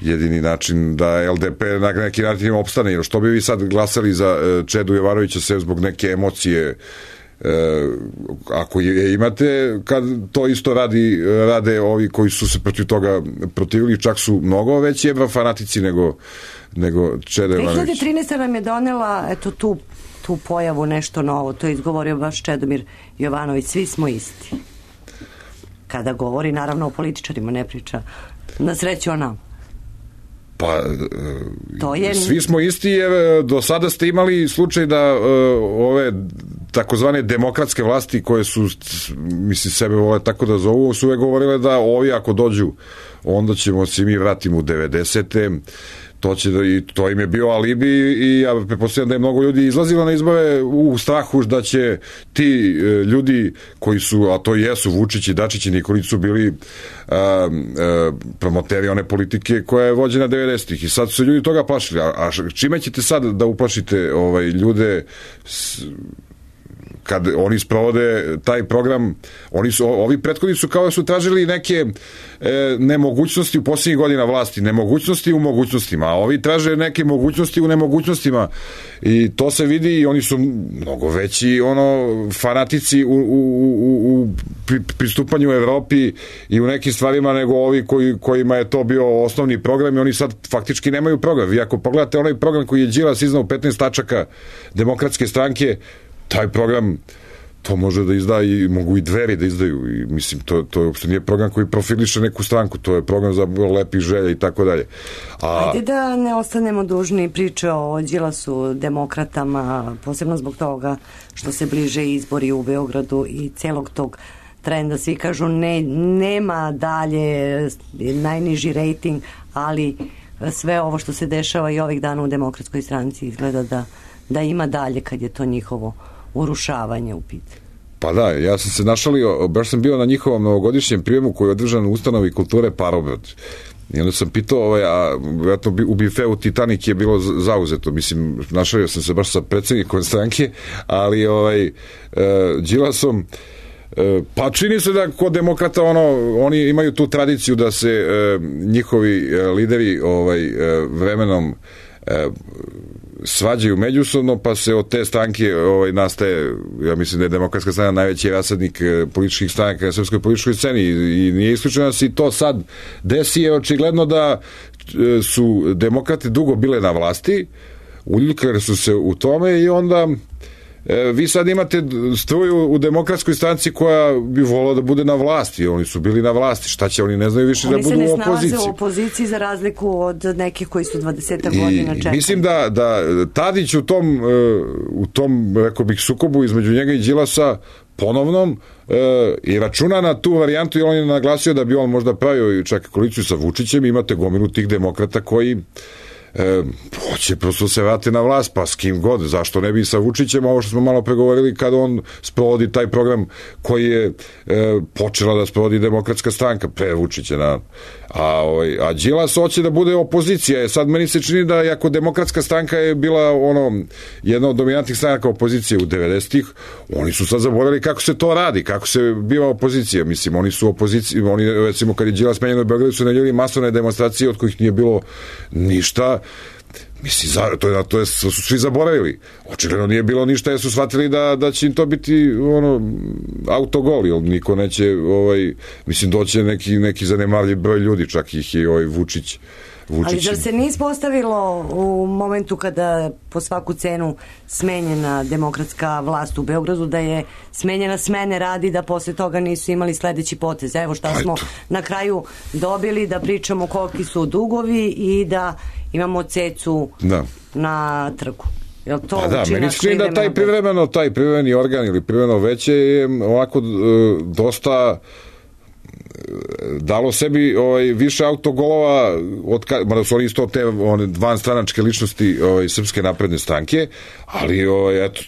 jedini način da LDP na neki način opstane. Jer što bi vi sad glasali za Čedu Jovanovića sve zbog neke emocije, ako je imate, kad to isto rade ovi koji su se protiv toga protivili, čak su mnogo veći evrofanatici nego Čeda Jovanović. 2013. nam je donela tu pojavu nešto novo, to je izgovorio baš Čedomir Jovanović, svi smo isti. Kada govori naravno o političarima, ne priča na sreću o nama. Pa, svi smo isti, jer do sada ste imali slučaj da ove takozvane demokratske vlasti koje su, mislim, sebe vole tako da zovu, su uvek govorile da ovi ako dođu, onda ćemo se mi vratiti u 90. To im je bio alibi i ja pretpostavljam da je mnogo ljudi izlazilo na izbore u strahu da će ti ljudi koji su, a to jesu Vučić i Dačić i Nikolić, su bili promoteri one politike koja je vođena 90-ih i sad su ljudi toga plašili. A čime ćete sad da uplašite ljude kad oni sprovode taj program? Ovi prethodni su kao da su tražili neke nemogućnosti u posljednjih godina vlasti, nemogućnosti u mogućnostima, a ovi traže neke mogućnosti u nemogućnostima i to se vidi i oni su mnogo veći fanatici u pristupanju Evropi i u nekim stvarima nego ovi kojima je to bio osnovni program i oni sad faktički nemaju program. Vi ako pogledate onaj program koji je Đilas iznao 15 tačaka Demokratske stranke, taj program to može da izda i mogu i Dveri da izdaju i mislim to uopšte nije program koji profiliše neku stranku, to je program za lepih želja i tako dalje. Ajde da ne ostanemo dužni priče o Đilasu, demokratama, posebno zbog toga što se bliže izbori u Beogradu i celog tog trenda. Svi kažu nema dalje, najniži rejting, ali sve ovo što se dešava i ovih dana u Demokratskoj stranci izgleda da ima dalje kad je to njihovo urušavanje u pitanju. Pa da, ja sam se našalio, baš sam bio na njihovom novogodišnjem prijemu koji je održan u ustanovi kulture Parobrod. I onda sam pitao, a vjerojatno u bifeu Titanik je bilo zauzeto, mislim, našalio sam se baš sa predsjednikom stranke, ali Đilasom, pa čini se da kod demokrata oni imaju tu tradiciju da se njihovi lideri vremenom svađaju međusobno, pa se od te stranke nastaje, ja mislim da je Demokratska strana najveći rasadnik političkih stranaka na srpskoj političkoj sceni i nije isključeno da se i to sad desi, je očigledno da su demokrate dugo bile na vlasti, uljuljkali su se u tome i onda vi sad imate struju u Demokratskoj stranci koja bi volila da bude na vlasti. Oni su bili na vlasti. Šta će? Oni ne znaju više da budu u opoziciji. Oni se ne snalaze u opoziciji za razliku od nekih koji su 20 godina čekali. Mislim da Tadić u tom, rekao bih, sukobu između njega i Đilasa ponovnom i računa na tu varijantu i on je naglasio da bi on možda pravio čak koaliciju sa Vučićem. Imate gomilu tih demokrata koji hoće prosto se vrati na vlast, pa s kim god, zašto ne bi sa Vučićem, ovo što smo malo pregovorili kada on sprovodi taj program koji je počela da sprovodi Demokratska stranka pre Vučića, a Đilas hoće da bude opozicija. Sad meni se čini da iako Demokratska stranka je bila jedna od dominantnih stranaka opozicije u 90-ih, oni su sad zaboravili kako se to radi, kako se biva opozicija. Mislim, oni su opoziciji, oni recimo kad je Đilas menjen u Beogradu su najavili masovne demonstracije od kojih nije bilo ništa. Mislim, to su svi zaboravili. Očigledno nije bilo ništa jer su shvatili da će im to biti autogol, jer niko neće mislim, doće neki zanemarljiv broj ljudi, čak ih je Vučić. Ali zar se nije ispostavilo u momentu kada po svaku cenu smenjena demokratska vlast u Beogradu, da je smenjena smene radi, da posle toga nisu imali sledeći potez? Evo šta smo na kraju dobili, da pričamo koliki su dugovi i da imamo cecu na trgu. Meni se čini da taj privremeni organ ili privremeno veće je ovako dosta dalo sebi više autogolova, mada su oni isto te vanstranačke ličnosti Srpske napredne stranke, ali eto,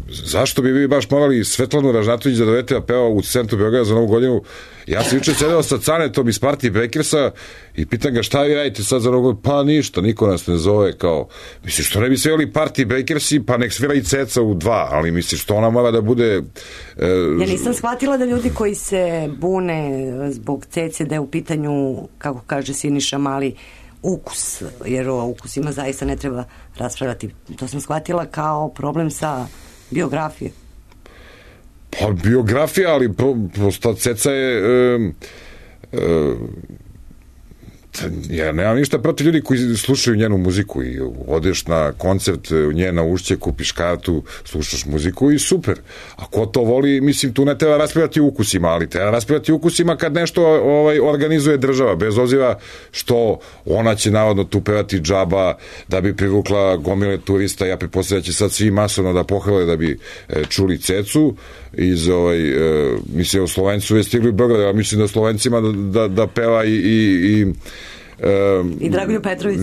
zašto bi vi baš morali Svetlanu Ražnatović da dovedete da peva u centru Beograda za Novu godinu? Ja sam juče sedeo sa Canetom iz partije Brekersa i pitan ga šta vi radite sad za Novu godinu? Pa ništa, niko nas ne zove, kao, misliš, što ne bi svirali partije Brekersi, pa nek svira i Ceca u 2, ali misliš, što ona mora da bude... Ja nisam shvatila da ljudi koji se bune zbog Cece, da je u pitanju, kako kaže Siniša Mali, ukus, jer o ukusima zaista ne treba raspravljati. To sam shvatila kao problem sa biografije. Pa biografija, ali prosto Ceca je ja nemam ništa protiv ljudi koji slušaju njenu muziku i odeš na koncert njena Ušće, kupiš kartu, slušaš muziku i super. A ko to voli, mislim, tu ne treba raspravljati ukusima, ali treba raspravljati ukusima kad nešto organizuje država, bez obzira što ona će navodno tu pevati džaba da bi privukla gomile turista. Ja pretpostavljam da će sad svi masovno da pohvale da bi čuli Cecu iz mislim, u Slovencu je stigli u Beograd, ja mislim da Slovencima da peva i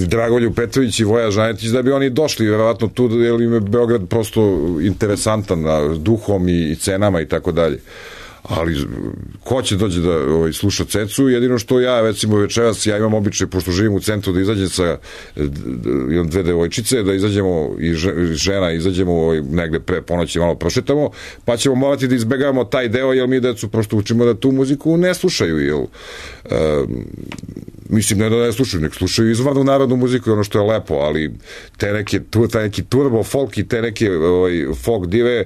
Dragolju Petrović i Voja Žanetić, da bi oni došli verovatno tu, jer im je Beograd prosto interesantan duhom i cenama i tako dalje. Ali ko će dođe da sluša Cecu? Jedino što ja, recimo večeras, ja imam običaj, pošto živim u centru, da izađem sa dve devojčice, da izađemo i žena, izađemo negde pre ponoći, malo prošetamo, pa ćemo morati da izbegavamo taj deo, jer mi decu prosto učimo da tu muziku ne slušaju, jer mislim, ne da ne slušaju, nek slušaju izvornu narodnu muziku i ono što je lepo, ali taj neki turbo folk i te neke folk dive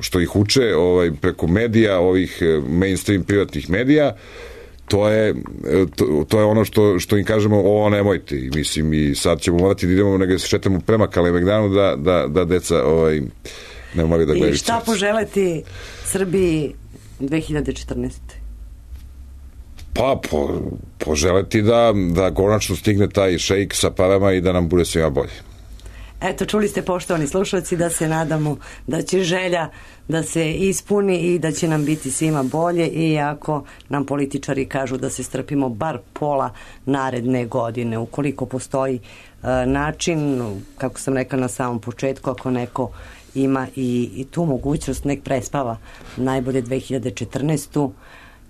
što ih uče preko medija, ovih mainstream privatnih medija, to je ono što im kažemo, ovo nemojte, i mislim, i sad ćemo morati da idemo negdje se šetamo prema Kalemegdanu da deca ne moraju da gledaju. I šta poželeti Srbiji 2014. Pa poželeti da konačno stigne taj šejk sa parama i da nam bude svima bolje. Eto, čuli ste, poštovani slušalci, da se nadamo da će želja da se ispuni i da će nam biti svima bolje, i ako nam političari kažu da se strpimo bar pola naredne godine, ukoliko postoji način, kako sam rekla na samom početku, ako neko ima i tu mogućnost, nek prespava najbolje 2014.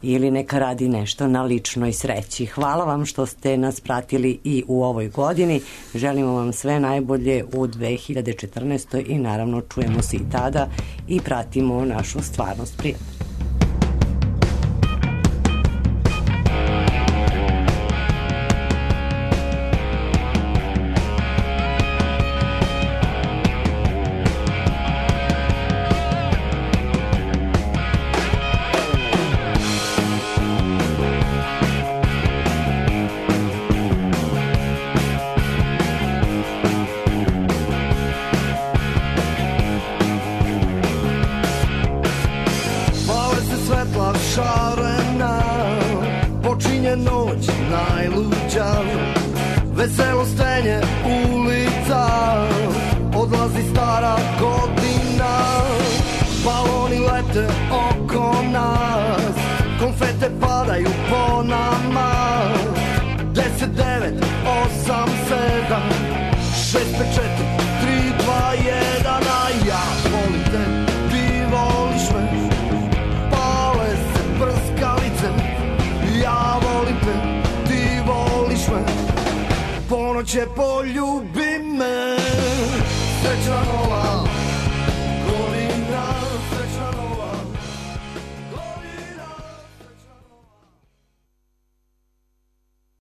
ili neka radi nešto na ličnoj sreći. Hvala vam što ste nas pratili i u ovoj godini. Želimo vam sve najbolje u 2014. i naravno čujemo se i tada i pratimo našu stvarnost prijatno. Veselo stenje ulica, odlazi stara godina, baloni lete oko nas, konfete padaju po nama, 10 654 321, a ja volim te, ti voliš me. Pale se prskalice, ja volim te, ti voliš me. Ponoće poljubi me, srećna nova godina.